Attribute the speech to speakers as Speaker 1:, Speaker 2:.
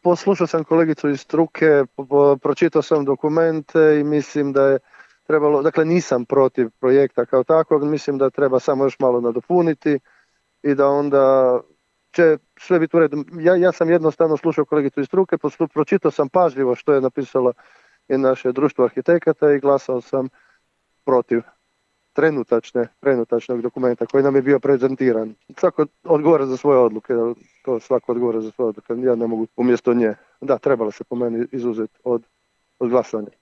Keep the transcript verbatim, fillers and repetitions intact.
Speaker 1: poslušao sam kolegicu iz struke, pročitao sam dokumente i mislim da je trebalo, dakle nisam protiv projekta kao takvog, mislim da treba samo još malo nadopuniti i da onda će sve biti u redu. Ja, ja sam jednostavno slušao kolegicu iz struke, pročitao sam pažljivo što je napisalo i naše društvo arhitekata i glasao sam protiv trenutačne, trenutačnog dokumenta koji nam je bio prezentiran. Svako odgovara za svoje odluke, to svako odgovara za svoje odluke, ja ne mogu umjesto nje. Da, trebalo se po meni izuzeti od, od glasanja.